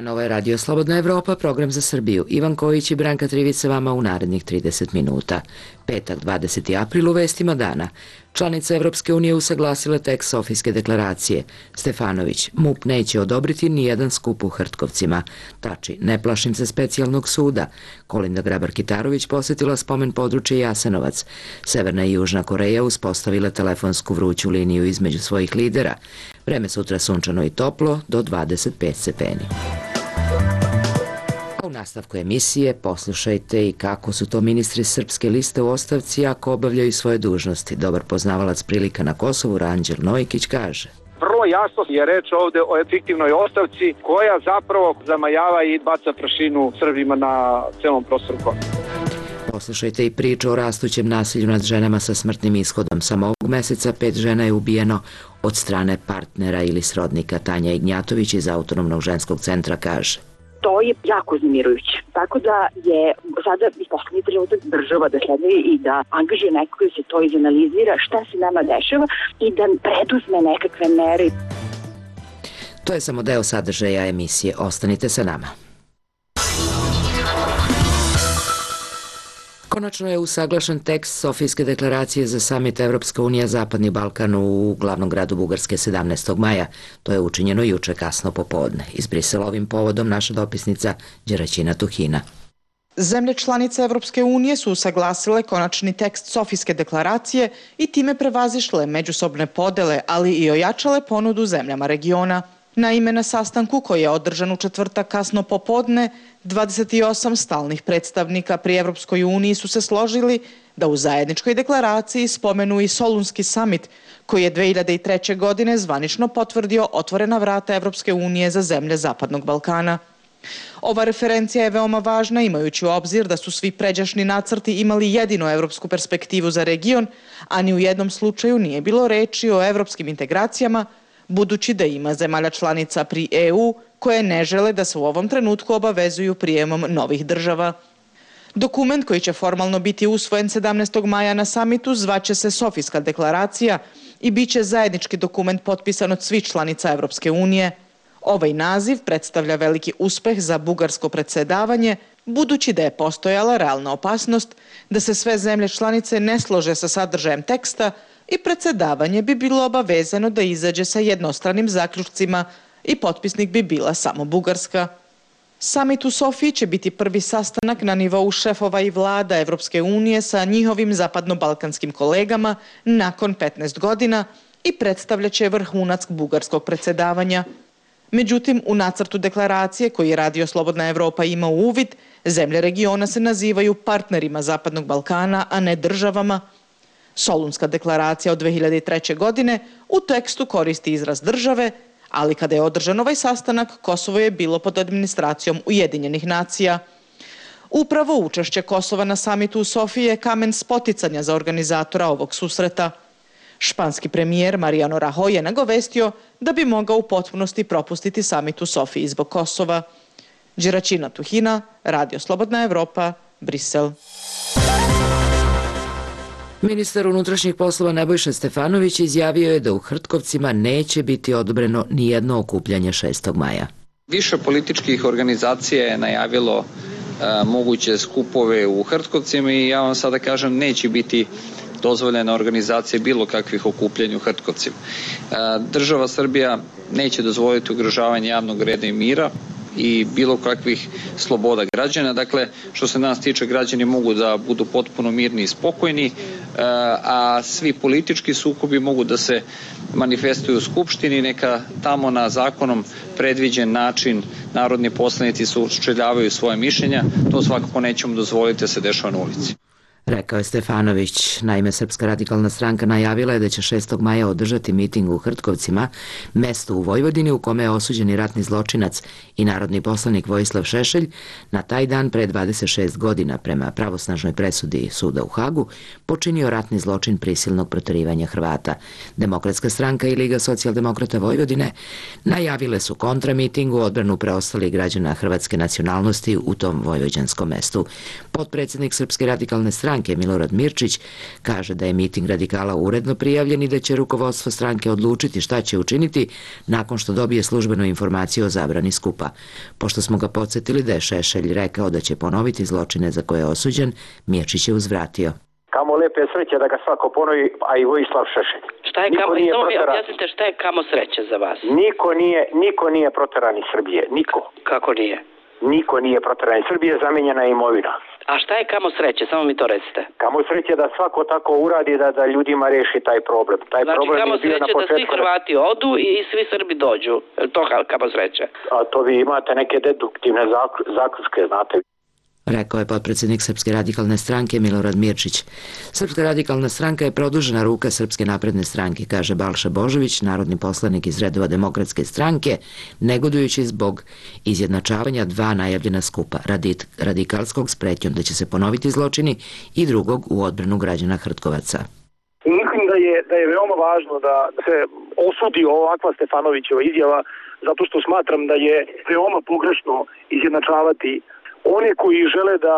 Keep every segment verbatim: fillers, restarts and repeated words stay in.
dan, ovo je Radio Slobodna Evropa, program za Srbiju. Ivan Kojić i Branka Trivica vama u narednih trideset minuta. Petak, dvadeseti april, u vestima dana. Članice Evropske unije usaglasile tekst Sofijske deklaracije. Stefanović, MUP neće odobriti ni jedan skup u Hrtkovcima. Tači, ne plašim se specijalnog suda. Kolinda Grabar-Kitarović posetila spomen područje Jasenovac. Severna i Južna Koreja uspostavile telefonsku vruću liniju između svojih lidera. Vreme sutra sunčano i toplo, do dvadeset pet stepeni. U nastavku emisije poslušajte i kako su to ministri Srpske liste u ostavci ako obavljaju svoje dužnosti. Dobar poznavalac prilika na Kosovu, Ranđel Nojkić, kaže: Vrlo jasno je reč ovde o fiktivnoj ostavci koja zapravo zamajava i baca prašinu Srbima na celom prostoru Kosova. Poslušajte i priču o rastućem nasilju nad ženama sa smrtnim ishodom. Samo ovog meseca pet žena je ubijeno od strane partnera ili srodnika. Tanja Ignjatović iz Autonomnog ženskog centra kaže: To je jako uznemirujuće. Tako da je sada i poslednji trenutak država da sledne i da angažuje neko koji se to izanalizira, šta se nama dešava i da preduzme nekakve mere. To je samo deo sadržaja emisije. Ostanite sa nama. Konačno je usaglašen tekst Sofijske deklaracije za samit Evropska unija Zapadni Balkan u glavnom gradu Bugarske sedamnaestog maja. To je učinjeno juče kasno popodne. Iz Brisela ovim povodom naša dopisnica Đeraćina Tuhina. Zemlje članice Evropske unije su usaglasile konačni tekst Sofijske deklaracije i time prevazišle međusobne podele, ali i ojačale ponudu zemljama regiona. Naime, na sastanku koji je održan u četvrtak kasno popodne, dvadeset osam stalnih predstavnika pri Evropskoj uniji su se složili da u zajedničkoj deklaraciji spomenu i Solunski samit, koji je dve hiljade treće. godine zvanično potvrdio otvorena vrata Evropske unije za zemlje Zapadnog Balkana. Ova referencija je veoma važna imajući u obzir da su svi pređašnji nacrti imali jedinu evropsku perspektivu za region, a ni u jednom slučaju nije bilo reči o evropskim integracijama, budući da ima zemalja članica pri E U koje ne žele da se u ovom trenutku obavezuju prijemom novih država. Dokument koji će formalno biti usvojen sedamnaestog maja na samitu zvaće se Sofijska deklaracija i bit će zajednički dokument potpisan od svih članica Evropske unije. Ovaj naziv predstavlja veliki uspeh za bugarsko predsjedavanje, budući da je postojala realna opasnost da se sve zemlje članice ne slože sa sadržajem teksta i predsjedavanje bi bilo obavezano da izađe sa jednostranim zaključcima i potpisnik bi bila samo Bugarska. Samit u Sofiji će biti prvi sastanak na nivou šefova i vlada Evropske unije sa njihovim zapadno-balkanskim kolegama nakon petnaest godina i predstavljaće vrhunac bugarskog predsjedavanja. Međutim, u nacrtu deklaracije koji je Radio Slobodna Evropa ima u uvid, zemlje regiona se nazivaju partnerima Zapadnog Balkana, a ne državama. Solunska deklaracija od dve hiljade treće. godine u tekstu koristi izraz države, ali kada je održan ovaj sastanak, Kosovo je bilo pod administracijom Ujedinjenih nacija. Upravo učešće Kosova na samitu u Sofiji je kamen spoticanja za organizatora ovog susreta. Španski premijer Mariano Rajoy je nagovestio da bi mogao u potpunosti propustiti samit u Sofiji zbog Kosova. Đeraćina Tuhina, Radio Slobodna Evropa, Brisel. Ministar unutrašnjih poslova Nebojša Stefanović izjavio je da u Hrtkovcima neće biti odobreno ni jedno okupljanje šestog maja. Više političkih organizacija je najavilo a, moguće skupove u Hrtkovcima i ja vam sada kažem neće biti dozvoljena organizacija bilo kakvih okupljanja u Hrtkovcima. A, država Srbija neće dozvoliti ugrožavanje javnog reda i mira i bilo kakvih sloboda građana. Dakle, što se nas tiče, građani mogu da budu potpuno mirni i spokojni, a svi politički sukobi mogu da se manifestuju u Skupštini, neka tamo na zakonom predviđen način narodni poslanici sučeljavaju svoje mišljenja, to svakako nećemo dozvoliti da se dešava na ulici. Rekao je Stefanović. Naime, Srpska radikalna stranka najavila je da će šestog maja održati miting u Hrtkovcima, mesto u Vojvodini u kome je osuđeni ratni zločinac i narodni poslanik Vojislav Šešelj na taj dan pre dvadeset šest godina prema pravosnažnoj presudi suda u Hagu počinio ratni zločin prisilnog proterivanja Hrvata. Demokratska stranka i Liga socijaldemokrata Vojvodine najavile su kontramiting u odbranu preostalih građana hrvatske nacionalnosti u tom vojvođanskom mestu. Potpredsjednik Srpske radikalne stranke stranke Milorad Mirčić kaže da je miting radikala uredno prijavljen i da će rukovodstvo stranke odlučiti šta će učiniti nakon što dobije službenu informaciju o zabrani skupa. Pošto smo ga podsjetili da je Šešelj rekao da će ponoviti zločine za koje je osuđen, Mirčić je uzvratio. Kamo lepe sreće da ga svako ponovi, a i Vojislav Šešelj. Šta je kamo, samo mi objasnite šta je kamo sreće za vas? Niko nije, niko nije proteran iz Srbije, niko. Kako nije? Niko nije proteran iz Srbije, zamenjena je imovina. A šta je kamo sreće, samo mi to recite. Kamo sreće da svako tako uradi da, da ljudima reši taj problem. Taj znači problem kamo je bio sreće na početku... da svi Hrvati odu i svi Srbi dođu. To kamo sreće. A to vi imate neke deduktivne zaključke, znate. Rekao je potpredsjednik Srpske radikalne stranke Milorad Mirčić. Srpska radikalna stranka je produžena ruka Srpske napredne stranke, kaže Balša Božović, narodni poslanik iz redova Demokratske stranke, negodujući zbog izjednačavanja dva najavljena skupa, radikalskog s pretnjom da će se ponoviti zločini i drugog u odbranu građana Hrtkovaca. Mislim da je, da je veoma važno da se osudi ovakva Stefanovićeva izjava, zato što smatram da je veoma pogrešno izjednačavati one koji žele da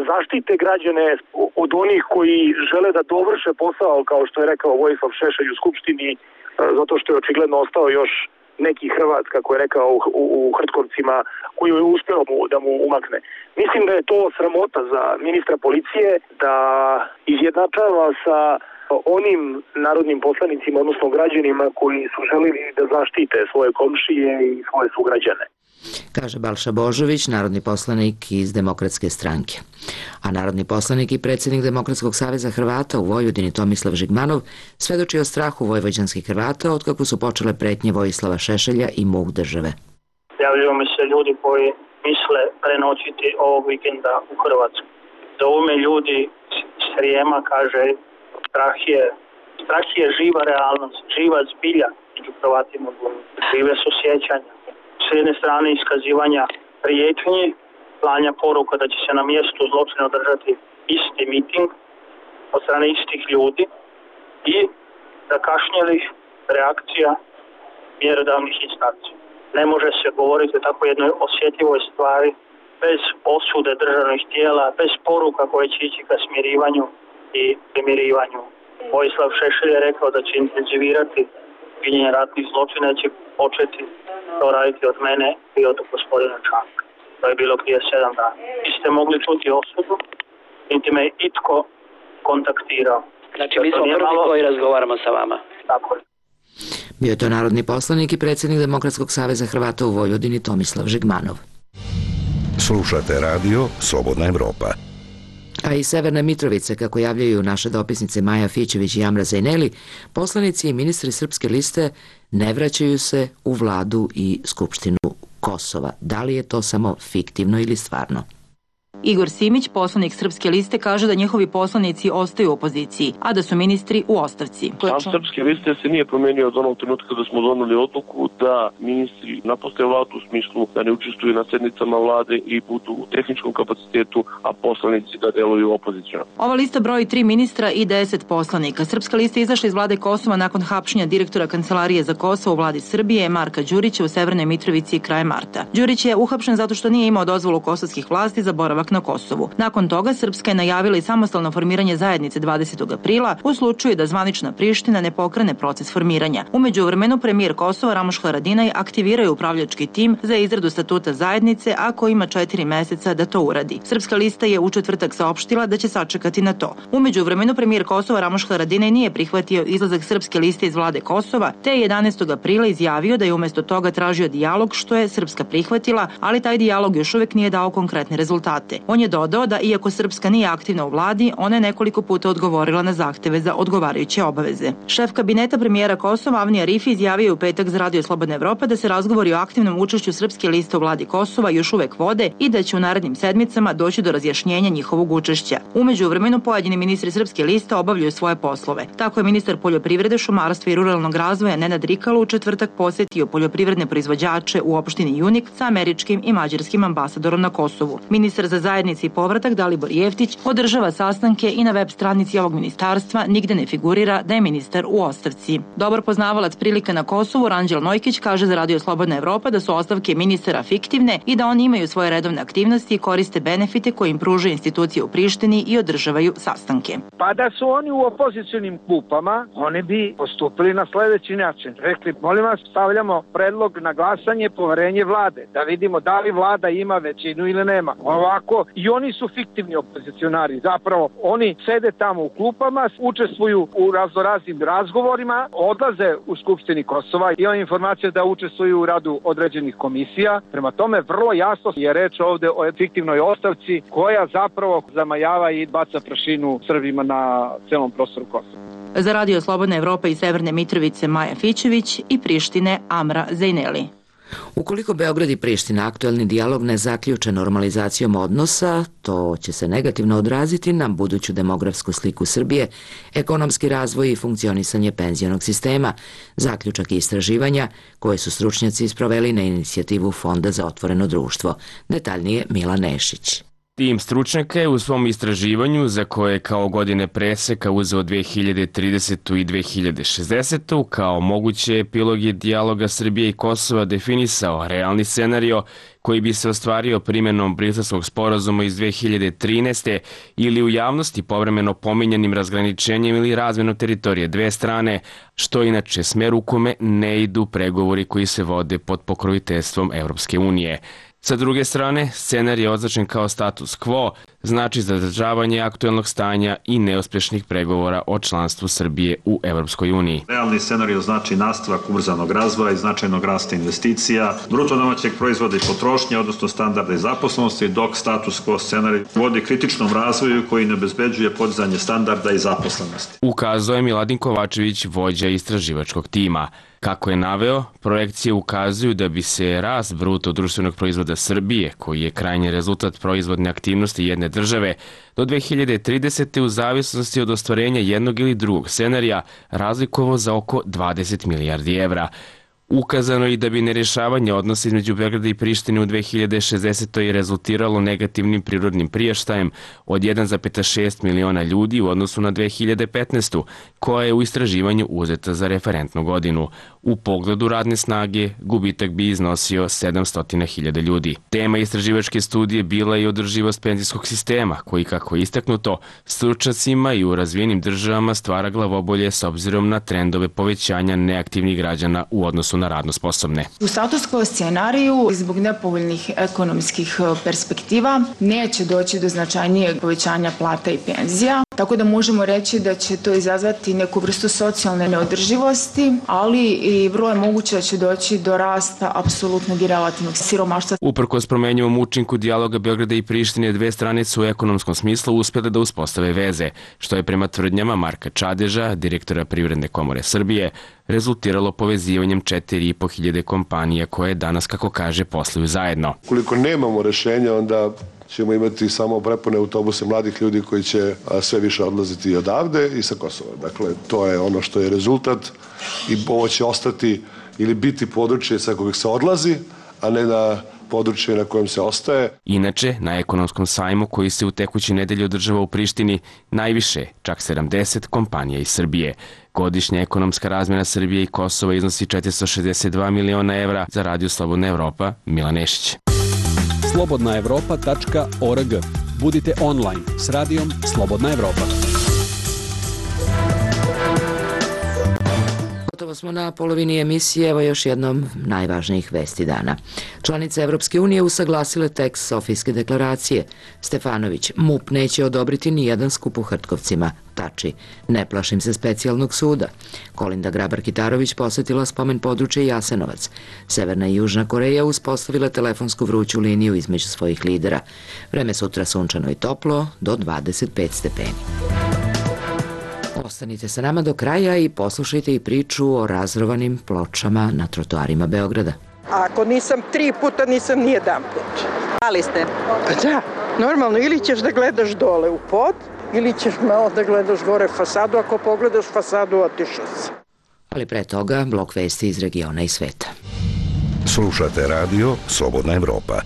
zaštite građane od onih koji žele da dovrše posao, kao što je rekao Vojislav Šešelj u Skupštini, zato što je očigledno ostao još neki Hrvat, kako je rekao, u, u Hrtkovcima, koji je uspeo mu, da mu umakne. Mislim da je to sramota za ministra policije da izjednačava sa onim narodnim poslanicima, odnosno građanima koji su želeli da zaštite svoje komšije i svoje sugrađane. Kaže Balša Božović, narodni poslanik iz Demokratske stranke. A narodni poslanik i predsjednik Demokratskog saveza Hrvata u Vojvodini Tomislav Žigmanov svedoči o strahu vojvođanskih Hrvata otkako su počele pretnje Vojislava Šešelja i muk države. Javljaju mi se ljudi koji misle prenoćiti ovog vikenda u Hrvatsku. Zovu me ljudi s Srijema, kaže, strah je, strah je živa realnost, živa zbilja među Hrvatima. Žive su sjećanja. S jedne strane iskazivanja prijetnji, slanja poruka da će se na mjestu zločina održati isti miting od strane istih ljudi i zakašnjelih reakcija mjerodavnih instanci. Ne može se govoriti o tako jednoj osjetljivoj stvari bez osude državnih tijela, bez poruka koje će ići ka smirivanju i primirivanju. Vojislav Šešelj je rekao da će intenzivirati činjenje ratnih zločina, će početi to raditi od mene i od gospodina Čanka. To je bilo prije sedam dana. Vi ste mogli čuti osudu, niti me itko kontaktirao. Znači mi smo prvi malo... koji razgovaramo sa vama. Tako je. Bio je to narodni poslanik i predsjednik Demokratskog saveza Hrvata u Vojvodini Tomislav Žigmanov. Slušate radio Slobodna Evropa. A iz Severne Mitrovice, kako javljaju naše dopisnice Maja Fićević i Amra Zajneli, poslanici i ministri Srpske liste ne vraćaju se u vladu i Skupštinu Kosova. Da li je to samo fiktivno ili stvarno? Igor Simić, poslanik Srpske liste, kaže da njihovi poslanici ostaju u opoziciji, a da su ministri u ostavci. Sam Srpske liste se nije promenio od onog trenutka da smo doneli odluku da ministri napuste vladu u smislu da ne učestvuju na sednicama vlade i budu u tehničkom kapacitetu, a poslanici da deluju opozicijno. Ova lista broji tri ministra i deset poslanika. Srpska lista izašla iz vlade Kosova nakon hapšenja direktora Kancelarije za Kosovo u vladi Srbije, Marka Đurića, u Severnoj Mitrovici krajem marta. Đurić je uhapšen zato što nije imao dozvolu kosovskih vlasti za boravak na Kosovu. Nakon toga Srpska je najavila i samostalno formiranje zajednice dvadesetog aprila u slučaju da zvanična Priština ne pokrene proces formiranja. U međuvremenu premijer Kosova Ramuš Haradinaj aktiviraju upravljački tim za izradu statuta zajednice, a koji ima četiri meseca da to uradi. Srpska lista je u četvrtak saopštila da će sačekati na to. U međuvremenu premijer Kosova Ramuš Haradinaj nije prihvatio izlazak Srpske liste iz vlade Kosova, te je jedanaestog aprila izjavio da je umjesto toga tražio dijalog, što je Srpska prihvatila, ali taj dijalog još uvek nije dao konkretne rezultate. On je dodao da iako Srpska nije aktivna u vladi, ona je nekoliko puta odgovorila na zahteve za odgovarajuće obaveze. Šef kabineta premijera Kosova Avni Arifi izjavio u petak za Radio Slobodna Evropa da se razgovori o aktivnom učešću Srpske liste u vladi Kosova još uvek vode i da će u narednim sedmicama doći do razjašnjenja njihovog učešća. U međuvremenu pojedini ministri Srpske liste obavljaju svoje poslove. Tako je ministar poljoprivrede, šumarstva i ruralnog razvoja Nenad Rikalo u četvrtak posjetio poljoprivredne proizvođače u opštini Junik sa američkim i mađarskim ambasadorom na Kosovu. Ministar za zajednica i povratak Dalibor Jeftić održava sastanke i na web stranici ovog ministarstva nigde ne figurira da je ministar u ostavci. Dobar poznavalac prilika na Kosovu Ranđel Nojkić kaže za Radio Slobodna Evropa da su ostavke ministara fiktivne i da oni imaju svoje redovne aktivnosti i koriste benefite koje im pružaju institucije u Prištini i održavaju sastanke. Pa da su oni u opozicionim klupama, oni bi postupili na sledeći način. Rekli, molim vas, stavljamo predlog na glasanje poverenje vlade, da vidimo da li vlada ima većinu ili nema. Ovako, i oni su fiktivni opozicionari. Zapravo, oni sede tamo u klupama, učestvuju u raznoraznim razgovorima, odlaze u Skupštini Kosova, ima informacija da učestvuju u radu određenih komisija. Prema tome, vrlo jasno je reč ovde o fiktivnoj ostavci koja zapravo zamajava i baca prašinu Srbima na celom prostoru Kosova. Za Radio Slobodna Evropa iz Severne Mitrovice Maja Fićević i Prištine Amra Zejneli. Ukoliko Beograd i Priština aktuelni dijalog ne zaključe normalizacijom odnosa, to će se negativno odraziti na buduću demografsku sliku Srbije, ekonomski razvoj i funkcionisanje penzionog sistema, zaključak i istraživanja koje su stručnjaci sproveli na inicijativu Fonda za otvoreno društvo. Detaljnije Milan Nešić. Tim stručnjaka je u svom istraživanju, za koje kao godine preseka uzeo dve hiljade tridesetu i dve hiljade šezdesetu, kao moguće epiloge dijaloga Srbije i Kosova definisao realni scenario koji bi se ostvario primjenom Briselskog sporazuma iz dve hiljade trinaeste. ili u javnosti povremeno pominjanim razgraničenjem ili razmenom teritorije dve strane, što inače smer u kome ne idu pregovori koji se vode pod pokroviteljstvom Evropske unije. Sa druge strane, scenar je označen kao status quo, znači zadržavanje aktuelnog stanja i neuspješnih pregovora o članstvu Srbije u Evropskoj uniji. Realni scenario znači nastavak ubrzanog razvoja i značajnog rasta investicija, bruto domaćeg proizvoda i potrošnje, odnosno standarda i zaposlenosti, dok status quo scenarij vodi kritičnom razvoju koji ne obezbeđuje podizanje standarda i zaposlenosti. Ukazao je Miladin Kovačević, vođa istraživačkog tima. Kako je naveo, projekcije ukazuju da bi se rast bruto društvenog proizvoda Srbije, koji je krajnji rezultat proizvodne aktivnosti jedne države, do dve hiljade tridesete. u zavisnosti od ostvarenja jednog ili drugog scenarija razlikovao za oko dvadeset milijardi evra. Ukazano je i da bi nerješavanje odnosa između Beograda i Prištine u dve hiljade šezdesetoj. rezultiralo negativnim prirodnim priraštajem od jedan zarez šest miliona ljudi u odnosu na dve hiljade petnaestu. koja je u istraživanju uzeta za referentnu godinu. U pogledu radne snage, gubitak bi iznosio sedamsto hiljada ljudi. Tema istraživačke studije bila je održivost penzijskog sistema, koji, kako je istaknuto, stručnjacima i u razvijenim državama stvara glavobolje s obzirom na trendove povećanja neaktivnih građana u odnosu na radno sposobne. U status quo scenariju, zbog nepovoljnih ekonomskih perspektiva, neće doći do značajnijeg povećanja plata i penzija, tako da možemo reći da će to izazvati neku vrstu socijalne neodrživosti, ali i vrlo je moguće da će doći do rasta apsolutnog i relativnog siromaštva. Uprkos promenjivom učinku dijaloga Beograda i Prištine, dve strane su u ekonomskom smislu uspjele da uspostave veze, što je prema tvrdnjama Marka Čadeža, direktora Privredne komore Srbije, rezultiralo povezivanjem četiri i po hiljade kompanija koje danas, kako kaže, posluju zajedno. Koliko nemamo rešenja, onda ćemo imati samo prepune autobuse mladih ljudi koji će sve više odlaziti odavde i sa Kosova. Dakle, to je ono što je rezultat i ovo će ostati ili biti područje sa kojeg se odlazi, a ne na područje na kojem se ostaje. Inače, na ekonomskom sajmu koji se u tekućoj nedelji održava u Prištini, najviše, čak sedamdeset kompanija iz Srbije. Godišnja ekonomska razmjena Srbije i Kosova iznosi četiristo šezdeset dva miliona evra. Za Radio Slobodna Evropa, Milan Nešić. slobodna evropa tačka org. Budite online s radijom Slobodna Evropa. Gotovo smo na polovini emisije, evo još jednom najvažnijih vesti dana. Članice Evropske unije usaglasile tekst Sofijske deklaracije. Stefanović, MUP neće odobriti ni jedan skup u Hrtkovcima. Tači, ne plašim se specijalnog suda. Kolinda Grabar-Kitarović posjetila spomen područje Jasenovac. Severna i Južna Koreja uspostavila telefonsku vruću liniju između svojih lidera. Vreme sutra sunčano i toplo, do dvadeset pet stepeni. Ostanite sa nama do kraja i poslušajte i priču o razrovanim pločama na trotoarima Beograda. Ako nisam tri puta, nisam ni jedan put. Ali ste? Da, normalno, ili ćeš da gledaš dole u pod, ili ćeš malo da gledaš gore fasadu, ako pogledaš fasadu, otišao si. Ali pre toga, blok vesti iz regiona i sveta. Slušate radio Slobodna Evropa.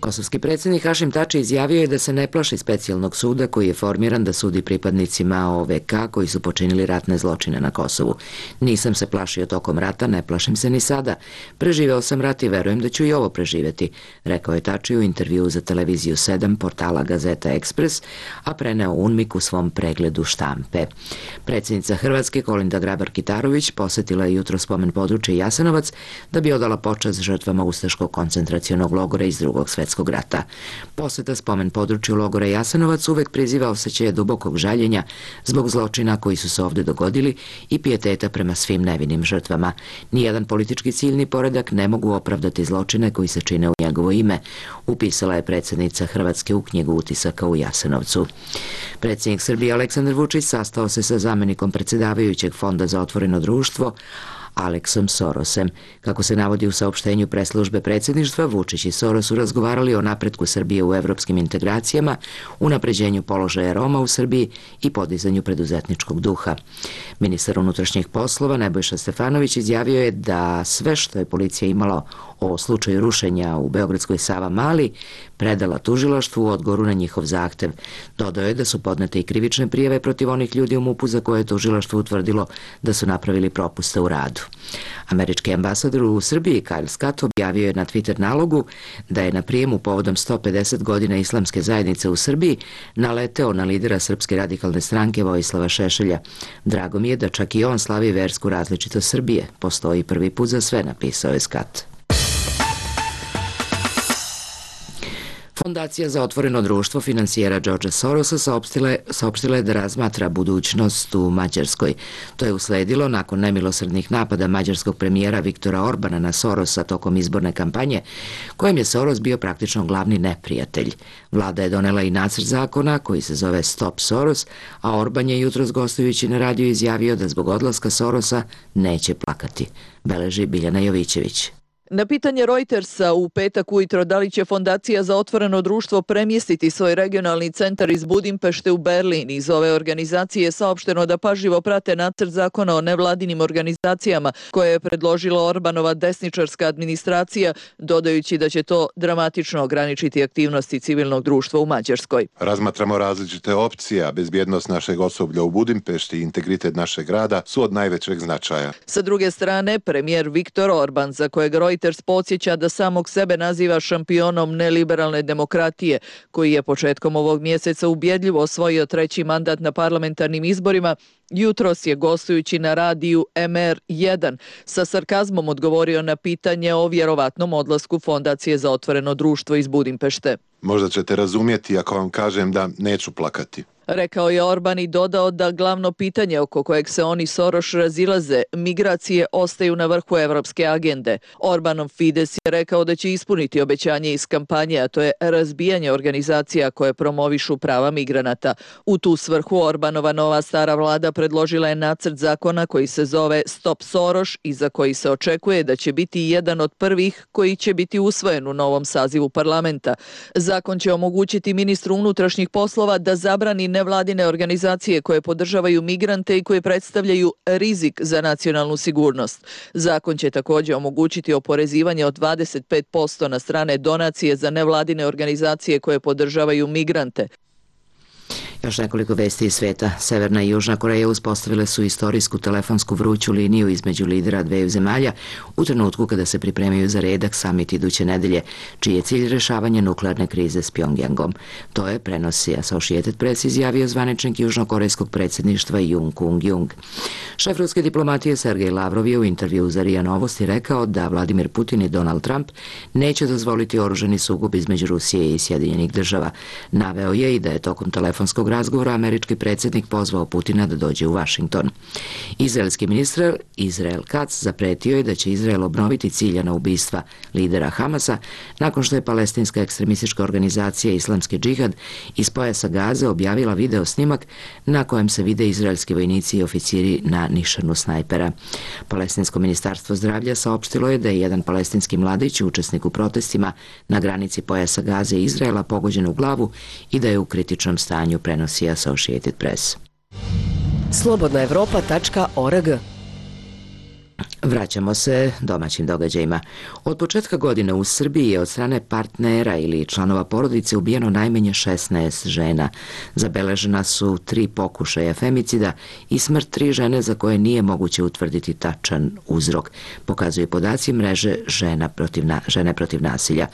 Kosovski predsjednik Hašim Tači izjavio je da se ne plaši specijalnog suda koji je formiran da sudi pripadnicima O V K koji su počinili ratne zločine na Kosovu. Nisam se plašio tokom rata, ne plašim se ni sada. Preživeo sam rat i verujem da ću i ovo preživeti, rekao je Tači u intervjuu za televiziju sedam portala Gazeta Ekspres, a preneo UNMIK u svom pregledu štampe. Predsjednica Hrvatske Kolinda Grabar-Kitarović posetila je jutro spomen područje Jasenovac da bi odala počast žrtvama ustaškog koncentracionog logora iz drugog svetskog rata. Poseta spomen području logora Jasenovac uvek priziva osjećaje dubokog žaljenja zbog zločina koji su se ovde dogodili i pijeteta prema svim nevinim žrtvama. Nijedan politički cilj ni poredak ne mogu opravdati zločine koji se čine u njegovo ime, upisala je predsjednica Hrvatske u knjigu utisaka u Jasenovcu. Predsjednik Srbije Aleksandar Vučić sastao se sa zamenikom predsjedavajućeg Fonda za otvoreno društvo Aleksom Sorosem. Kako se navodi u saopštenju preslužbe predsjedništva, Vučić i Soros su razgovarali o napretku Srbije u evropskim integracijama, unapređenju položaja Roma u Srbiji i podizanju preduzetničkog duha. Ministar unutrašnjih poslova Nebojša Stefanović izjavio je da sve što je policija imala o slučaju rušenja u Beogradskoj Savamali predala tužilaštvu u odgovoru na njihov zahtev. Dodao je da su podnete i krivične prijave protiv onih ljudi u MUP-u za koje je tužilaštvo utvrdilo da su napravili propuste u radu. Američki ambasador u Srbiji Kyle Scott objavio je na Twitter nalogu da je na prijemu povodom sto pedeset godina islamske zajednice u Srbiji naleteo na lidera Srpske radikalne stranke Vojislava Šešelja. Drago mi je da čak i on slavi versku različitost Srbije. Postoji prvi put za sve, napisao je Scott. Fondacija za otvoreno društvo finansijera Georgea Sorosa saopštila je da razmatra budućnost u Mađarskoj. To je usledilo nakon nemilosrdnih napada mađarskog premijera Viktora Orbana na Sorosa tokom izborne kampanje, kojem je Soros bio praktično glavni neprijatelj. Vlada je donela i nacrt zakona koji se zove Stop Soros, a Orban je jutros gostujući na radiju izjavio da zbog odlaska Sorosa neće plakati. Beleži Biljana Jovićević. Na pitanje Reutersa u petak ujutro da li će Fondacija za otvoreno društvo premjestiti svoj regionalni centar iz Budimpešte u Berlin, iz ove organizacije je saopšteno da pažljivo prate nacrt zakona o nevladinim organizacijama koje je predložila Orbanova desničarska administracija, dodajući da će to dramatično ograničiti aktivnosti civilnog društva u Mađarskoj. Razmatramo različite opcije, a bezbjednost našeg osoblja u Budimpešti i integritet našeg grada su od najvećeg značaja. Sa druge strane, premijer Viktor Orban, za kojeg Reuters podsjeća da samog sebe naziva šampionom neliberalne demokratije, koji je početkom ovog mjeseca ubjedljivo osvojio treći mandat na parlamentarnim izborima, jutros je gostujući na radiju M R jedan sa sarkazmom odgovorio na pitanje o vjerovatnom odlasku Fondacije za otvoreno društvo iz Budimpešte. Možda ćete razumjeti ako vam kažem da neću plakati. Rekao je Orban i dodao da glavno pitanje oko kojeg se oni Soroš razilaze, migracije, ostaju na vrhu evropske agende. Orbanov Fides je rekao da će ispuniti obećanje iz kampanje, a to je razbijanje organizacija koje promovišu prava migranata. U tu svrhu Orbanova nova stara vlada predložila je nacrt zakona koji se zove Stop Soros i za koji se očekuje da će biti jedan od prvih koji će biti usvojen u novom sazivu parlamenta. Zakon će omogućiti ministru unutrašnjih poslova da zabrani nevladine organizacije koje podržavaju migrante i koje predstavljaju rizik za nacionalnu sigurnost. Zakon će također omogućiti oporezivanje od dvadeset pet posto na strane donacije za nevladine organizacije koje podržavaju migrante. Još nekoliko vesti iz sveta. Severna i Južna Koreja uspostavile su istorijsku telefonsku vruću liniju između lidera dveju zemalja u trenutku kada se pripremaju za redak samit iduće nedelje, čiji je cilj rešavanje nuklearne krize s Pjongjangom. To je, prenosi Associated Press, izjavio zvaničnik južnokorejskog predsjedništva Jung Kung-jung. Šef ruske diplomatije Sergej Lavrov je u intervjuu za R I A Novosti rekao da Vladimir Putin i Donald Trump neće dozvoliti oružani sukob između Rusije i Sjedinjenih država. Naveo je i da je tokom telefonskog razgovora američki predsjednik pozvao Putina da dođe u Vašington. Izraelski ministar Izrael Katz zapretio je da će Izrael obnoviti ciljana ubistva lidera Hamasa nakon što je palestinska ekstremistička organizacija Islamski džihad iz pojasa Gaze objavila video snimak na kojem se vide izraelski vojnici i oficiri na nišanu snajpera. Palestinsko ministarstvo zdravlja saopštilo je da je jedan palestinski mladić, učesnik u protestima na granici pojasa Gaze i Izraela, pogođen u glavu i da je u kritičnom stanju, prenosi Associated Press. slobodna evropa tačka org Vraćamo se domaćim događajima. Od početka godine u Srbiji je od strane partnera ili članova porodice ubijeno najmanje šesnaest žena. Zabeležena su tri pokušaja femicida i smrt tri žene za koje nije moguće utvrditi tačan uzrok, pokazuju podaci mreže žena protiv na, žene protiv nasilja.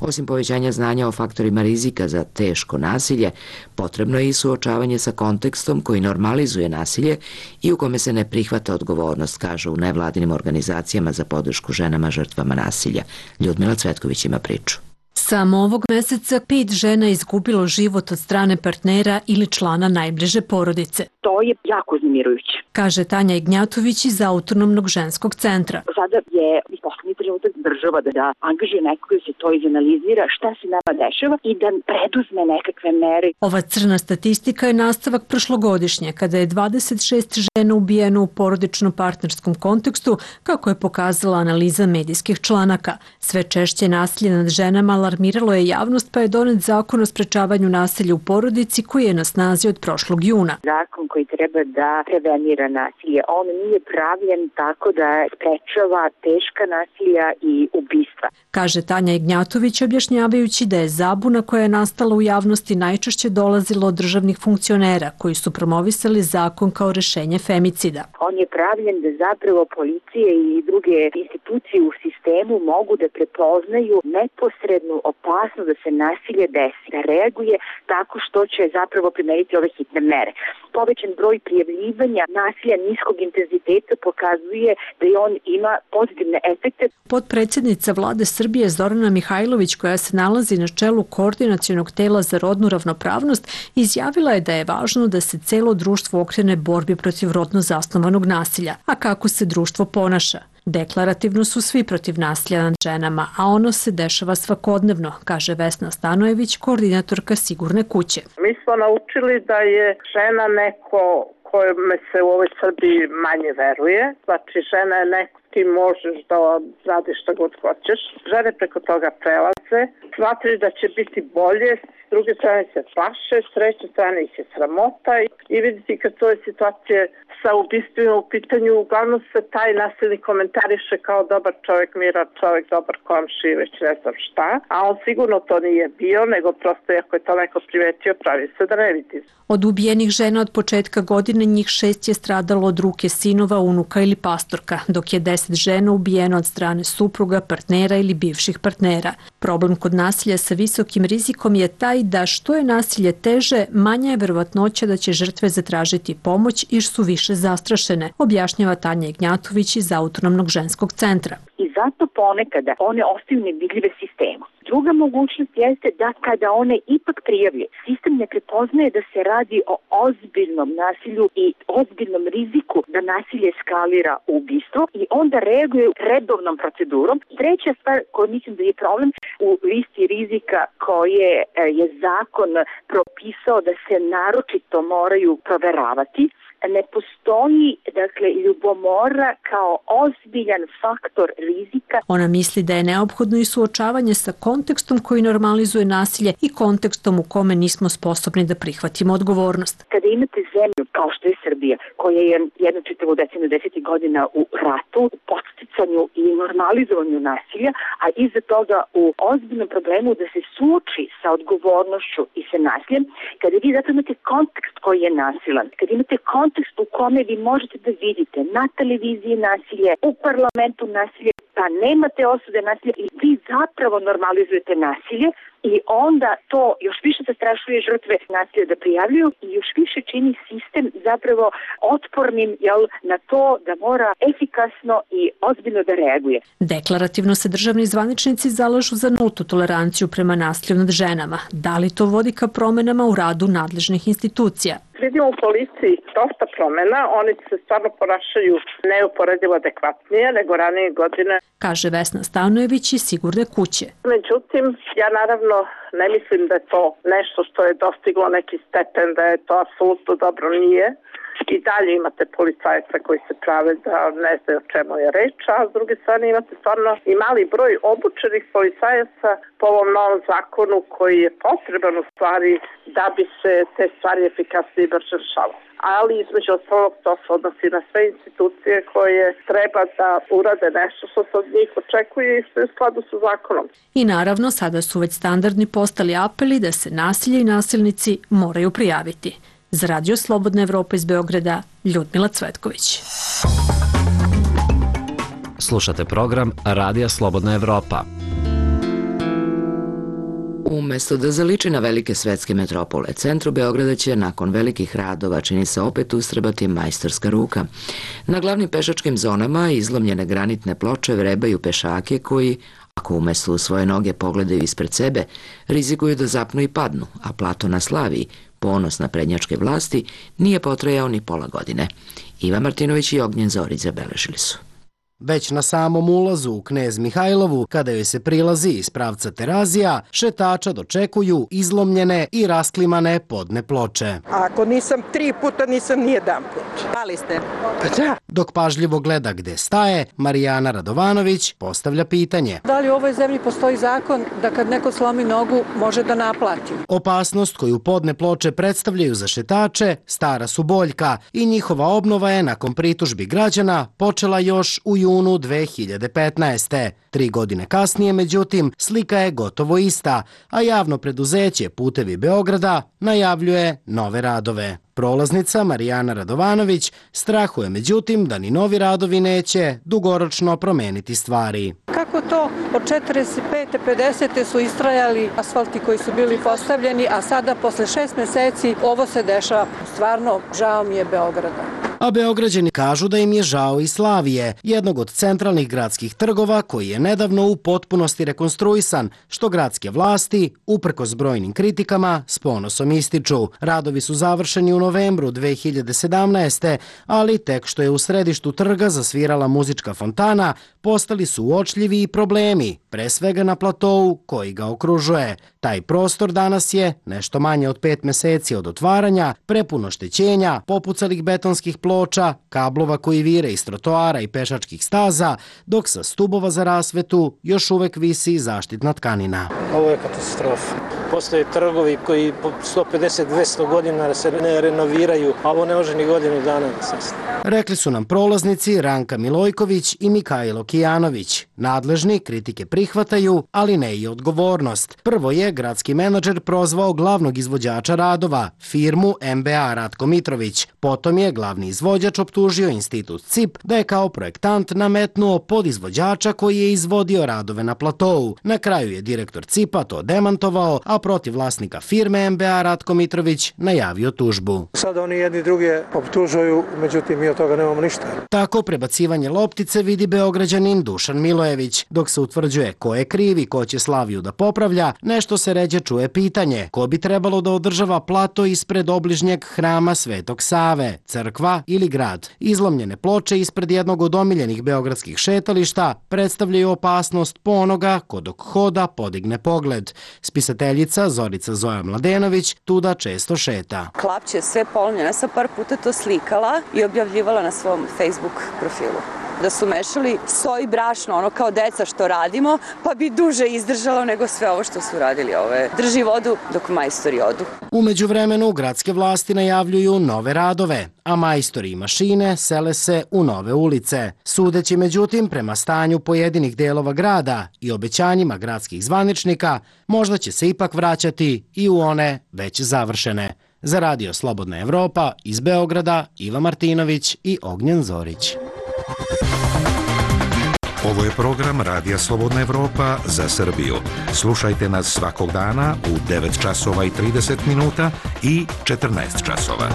Osim povećanja znanja o faktorima rizika za teško nasilje, potrebno je i suočavanje sa kontekstom koji normalizuje nasilje i u kome se ne prihvata odgovornost, kažu u nevladinim organizacijama za podršku ženama žrtvama nasilja. Ljudmila Cvetković ima priču. Samo ovog meseca pet žena je izgubilo život od strane partnera ili člana najbliže porodice. To je jako uznemirujuće, kaže Tanja Ignjatović iz Autonomnog ženskog centra. Sada je poslednji trenutak država da, da angažuje nekoga da se to izanalizira, šta se nama dešava i da preduzme nekakve mere. Ova crna statistika je nastavak prošlogodišnje, kada je dvadeset šest žena ubijeno u porodično-partnerskom kontekstu, kako je pokazala analiza medijskih članaka. Sve češće nasilje nad ženama alarmiralo je javnost, pa je donet zakon o sprečavanju nasilja u porodici koji je na snazi od prošlog juna. Zakon koji treba da prevenira nasilje, on nije pravljen tako da sprečava teška nasilja i ubistva, kaže Tanja Ignjatović, objašnjavajući da je zabuna koja je nastala u javnosti najčešće dolazila od državnih funkcionera koji su promovisali zakon kao rešenje femicida. On je pravljen da zapravo policije i druge institucije u sistemu mogu da prepoznaju neposrednu opasnost da se nasilje desi, da reaguje tako što će zapravo primeniti ove hitne mere. Povećan broj prijavljivanja nasilja niskog intenziteta pokazuje da i on ima pozitivne efekte. Potpredsednica Vlade Srbije Zorana Mihajlović, koja se nalazi na čelu Koordinacionog tela za rodnu ravnopravnost, izjavila je da je važno da se celo društvo okrene borbi protiv rodno zasnovanog nasilja. A kako se društvo ponaša? Deklarativno su svi protiv nasilja nad ženama, a ono se dešava svakodnevno, kaže Vesna Stanojević, koordinatorka Sigurne kuće. Mi smo naučili da je žena neko kojome se u ovoj Srbiji manje veruje. Znači, žena je neko ti možeš da radiš šta god hoćeš. Žene preko toga prelaze, smatraju da će biti bolje, s druge strane se plaše, s treće strane ih je sramota i vidite kad to je situacije sa ubistvima u pitanju, uglavnom se taj nasilnik komentariše kao dobar čovjek, miran čovjek, dobar komšija, već ne znam šta, a on sigurno to nije bio, nego prosto ako je to neko primetio, pravi se da ne vidi. Od ubijenih žena od početka godine njih šest je stradalo od ruke sinova, unuka ili pastorka, dok je deset žena ubijeno od strane supruga, partnera ili bivših partnera. Problem kod nasilja sa visokim rizikom je taj da što je nasilje teže, manja je verovatnoća da će žrtve zatražiti pomoć jer su više zastrašene, objašnjava Tanja Ignjatović iz Autonomnog ženskog centra. I zato ponekada one ostaju nevidljive sistemu. Druga mogućnost jeste da kada one ipak prijavlje, sistem ne prepoznaje da se radi o ozbiljnom nasilju i ozbiljnom riziku da nasilje eskalira u ubistvo i onda reaguje redovnom procedurom. Treća stvar koja mislim da je problem u listi rizika koje je zakon propisao da se naročito moraju proveravati, ne postoji, dakle, ljubomora kao ozbiljan faktor rizika. Ona misli da je neophodno i suočavanje sa kontekstom koji normalizuje nasilje i kontekstom u kome nismo sposobni da prihvatimo odgovornost. Kada imate zemlju kao što je Srbija, koja je jednu čitavu deceniju desetih godina u ratu, u podsticanju i normalizovanju nasilja, a iza toga u ozbiljnom problemu da se suoči sa odgovornošću i sa nasiljem, kada vi zato imate kontekst koji je nasilan, kada imate kontekst u kome vi možete da vidite na televiziji nasilje, u parlamentu nasilje, pa nemate osude nasilja i vi zapravo normalizujete nasilje i onda to još više zastrašuje žrtve nasilja da prijavljuju i još više čini sistem zapravo otpornim, jel, na to da mora efikasno i ozbiljno da reaguje. Deklarativno se državni zvaničnici zalažu za nultu toleranciju prema nasilju nad ženama. Da li to vodi ka promenama u radu nadležnih institucija? Vidimo u policiji dosta promena, oni se stvarno ponašaju neuporedivo adekvatnije nego ranije godine, kaže Vesna Stanojević iz Sigurne kuće. Međutim, ja naravno ne mislim da je to nešto što je dostiglo neki stepen, da je to apsolutno dobro, nije. I dalje imate policajca koji se prave da ne znaju o čemu je reč, a s druge strane imate stvarno i mali broj obučenih policajaca po ovom novom zakonu koji je potreban u stvari da bi se te stvari efikasnije i brže rešavale. ali između ostalog to se odnosi na sve institucije koje treba da urade nešto što se od njih očekuje i što je u skladu sa zakonom. I naravno, sada su već standardni postali apeli da se nasilje i nasilnici moraju prijaviti. Za Radio Slobodna Evropa iz Beograda, Ljudmila Cvetković. Slušate program Radija Slobodna Evropa. Umesto da zaliči na velike svetske metropole, centru Beograda će nakon velikih radova čini se opet ustrebati majstorska ruka. Na glavnim pešačkim zonama izlomljene granitne ploče vrebaju pešake koji, ako umesto u svoje noge pogledaju ispred sebe, rizikuju da zapnu i padnu, a plato na Slaviji, ponos na prednjačke vlasti, nije potrajao ni pola godine. Ivan Martinović i Ognjen Zorić zabeležili su. Već na samom ulazu u Knez Mihajlovu, kada joj se prilazi iz pravca Terazija, šetača dočekuju izlomljene i rasklimane podne ploče. Ako nisam tri puta, nisam ni jedan put. Pali ste? Pa da. Dok pažljivo gleda gde staje, Marijana Radovanović postavlja pitanje. Da li u ovoj zemlji postoji zakon da kad neko slomi nogu može da naplati? Opasnost koju podne ploče predstavljaju za šetače stara su boljka i njihova obnova je nakon pritužbi građana počela još u junu dve hiljade petnaeste. Tri godine kasnije, međutim, slika je gotovo ista, a javno preduzeće Putevi Beograda najavljuje nove radove. Prolaznica Marijana Radovanović strahuje, međutim, da ni novi radovi neće dugoročno promeniti stvari. Kako to od četrdeset pete pedesete su istrajali asfalti koji su bili postavljeni, a sada posle šest meseci ovo se dešava. Stvarno, žao mi je Beograda. A Beograđani kažu da im je žao i Slavije, jednog od centralnih gradskih trgova koji je nedavno u potpunosti rekonstruisan, što gradske vlasti, uprkos brojnim kritikama, s ponosom ističu. Radovi su završeni u novembru dve hiljade sedamnaeste. ali tek što je u središtu trga zasvirala muzička fontana, postali su uočljivi i problemi, pre svega na platou koji ga okružuje. Taj prostor danas je nešto manje od pet meseci od otvaranja, prepun oštećenja, popucalih betonskih ploča, kablova koji vire iz trotoara i pešačkih staza, dok sa stubova za rasvetu još uvek visi zaštitna tkanina. Ovo je katastrofa. Postoje trgovi koji po sto pedeset do dvesta godina se ne renoviraju, a ovo ne može ni godinu dana da se. Rekli su nam prolaznici Ranka Milojković i Mikajlo Kijanović. Nadležni kritike prihvataju, ali ne i odgovornost. Prvo je gradski menadžer prozvao glavnog izvođača radova, firmu M B A Ratko Mitrović. Potom je glavni izvođač optužio institut C I P da je kao projektant nametnuo podizvođača koji je izvodio radove na platou. Na kraju je direktor C I P-a to demantovao, a protiv vlasnika firme M B A Ratko Mitrović najavio tužbu. Sada oni jedni druge optužuju, međutim mi od toga nemamo ništa. Tako prebacivanje loptice vidi Beograđanin Dušan Milojević. Dok se utvrđuje ko je kriv i ko će Slaviju da popravlja, nešto se ređe čuje pitanje ko bi trebalo da održava plato ispred obližnjeg hrama Svetog Save, crkva ili grad. Izlomljene ploče ispred jednog od omiljenih beogradskih šetališta predstavljaju opasnost po onoga ko dok hoda podigne pogled. Spisateljica Zorica Zoja Mladenović tuda često šeta. Klapće je sve polnjena, ja sam par puta to slikala i objavljivala na svom Facebook profilu. Da su mešali so i brašno, ono kao deca što radimo, pa bi duže izdržalo nego sve ovo što su radili. Ovo je drži vodu dok majstori odu. U međuvremenu gradske vlasti najavljuju nove radove, a majstori i mašine sele se u nove ulice. Sudeći međutim prema stanju pojedinih delova grada i obećanjima gradskih zvaničnika, možda će se ipak vraćati i u one već završene. Za Radio Slobodna Evropa iz Beograda, Ivan Martinović i Ognjen Zorić. Ovo je program Radija Slobodna Evropa za Srbiju. Slušajte nas svakog dana u devet časova i trideset minuta i četrnaest časova.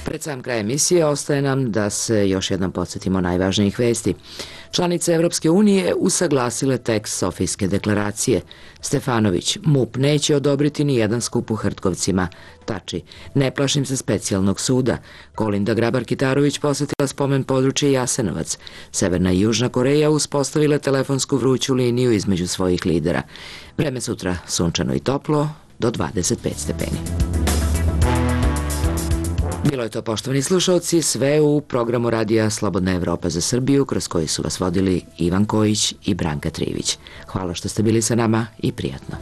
Pred sam kraj emisije ostaje nam da se još jednom podsjetimo najvažnijih vesti. Članice Evropske unije usaglasile tekst Sofijske deklaracije. Stefanović, M U P neće odobriti ni jedan skup u Hrtkovcima. Tači, ne plašim se specijalnog suda. Kolinda Grabar-Kitarović posjetila spomen područje Jasenovac. Severna i Južna Koreja uspostavile telefonsku vruću liniju između svojih lidera. Vreme sutra sunčano i toplo do dvadeset pet stepeni. Bilo je to, poštovani slušalci, sve u programu Radija Slobodna Evropa za Srbiju, kroz koji su vas vodili Ivan Kojić i Branka Trivić. Hvala što ste bili sa nama i prijatno.